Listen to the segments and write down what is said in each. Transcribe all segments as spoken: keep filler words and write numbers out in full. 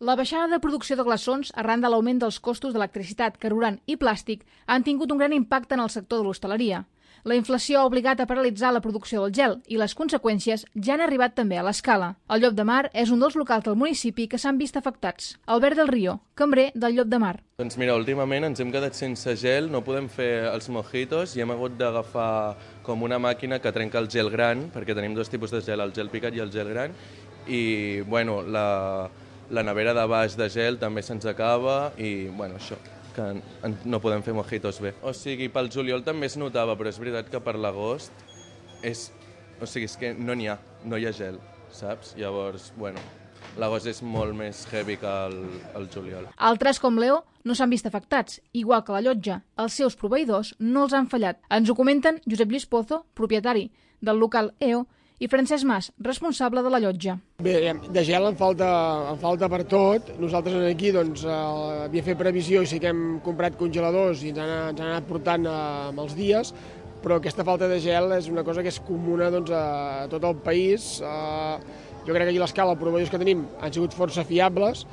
La baixada de producció de glaçons arran de l'augment dels costos d'electricitat, carburant i plàstic han tingut un gran impacte en el sector de l'hostaleria. La inflació ha obligat a paralitzar la producció del gel i les conseqüències ja han arribat també a l'escala. El Llop de Mar és un dels locals del municipi que s'han vist afectats. Albert del Río, cambrer del Llop de Mar. Doncs mira, últimament ens hem quedat sense gel, no podem fer els mojitos i hem hagut d'agafar com una màquina que trenca el gel gran, perquè tenim dos tipus de gel, el gel picat i el gel gran, i bueno, la, la nevera de baix de gel també se'ns acaba i bueno, això, que no podem fer mojitos bé. O sigui, pel juliol també es notava, però és veritat que per l'agost és... O sigui, és que no n'hi ha, no hi ha gel, saps? Llavors, bueno, l'agost és molt més heavy que el, el juliol. Altres, com Leo, no s'han vist afectats, igual que la Llotja. Els seus proveïdors no els han fallat. Ens ho comenten Josep Lluís Pozo, propietari del local E O, i Francesc Mas, responsable de la Llotja. Bé, de gel en falta, en falta per tot. Nosaltres aquí doncs, eh, havíem fet previsió i sí que hem comprat congeladors i ens han, ens han anat portant eh, amb els dies, però aquesta falta de gel és una cosa que és comuna doncs, a tot el país. Eh, jo crec que aquí a l'escala els proveïdors que tenim han sigut força fiables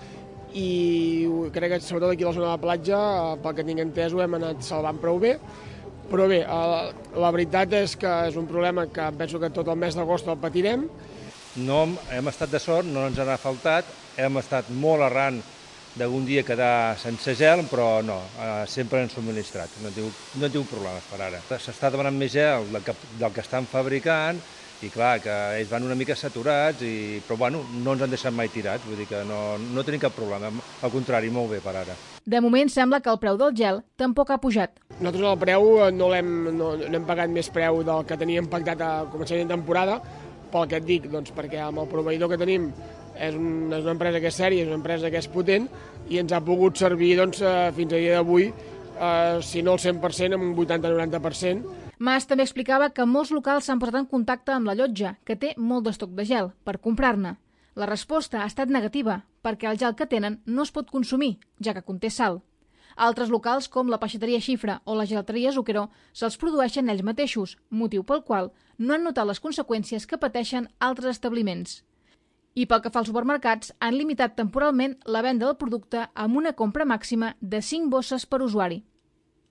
i crec que sobretot aquí a la zona de la platja, eh, pel que tinc entès, ho hem anat salvant prou bé. Però bé, la veritat és que és un problema que penso que tot el mes d'agost el patirem. No hem estat de sort, no ens n'ha faltat, hem estat molt arran d'algun dia quedar sense gel, però no, sempre hem subministrat, no hem tingut problemes per ara. S'està demanant més gel del que, del que estan fabricant i clar, que ells van una mica saturats, i, però bueno, no ens han deixat mai tirats, vull dir que no, no tenim cap problema, al contrari, molt bé per ara. De moment sembla que el preu del gel tampoc ha pujat. Nosaltres el preu no l'hem no, no hem pagat més preu del que teníem pactat a començament de temporada, pel que et dic, doncs, perquè amb el proveïdor que tenim és, un, és una empresa que és sèria, és una empresa que és potent i ens ha pogut servir doncs, fins a dia d'avui, eh, si no el cent per cent, amb un vuitanta a noranta per cent. Mas també explicava que molts locals s'han posat en contacte amb la Llotja, que té molt d'estoc de gel, per comprar-ne. La resposta ha estat negativa, perquè el gel que tenen no es pot consumir, ja que conté sal. Altres locals, com la peixateria Xifra o la gelateria Zucchero, se'ls produeixen ells mateixos, motiu pel qual no han notat les conseqüències que pateixen altres establiments. I pel que fa als supermercats, han limitat temporalment la venda del producte amb una compra màxima de cinc bosses per usuari.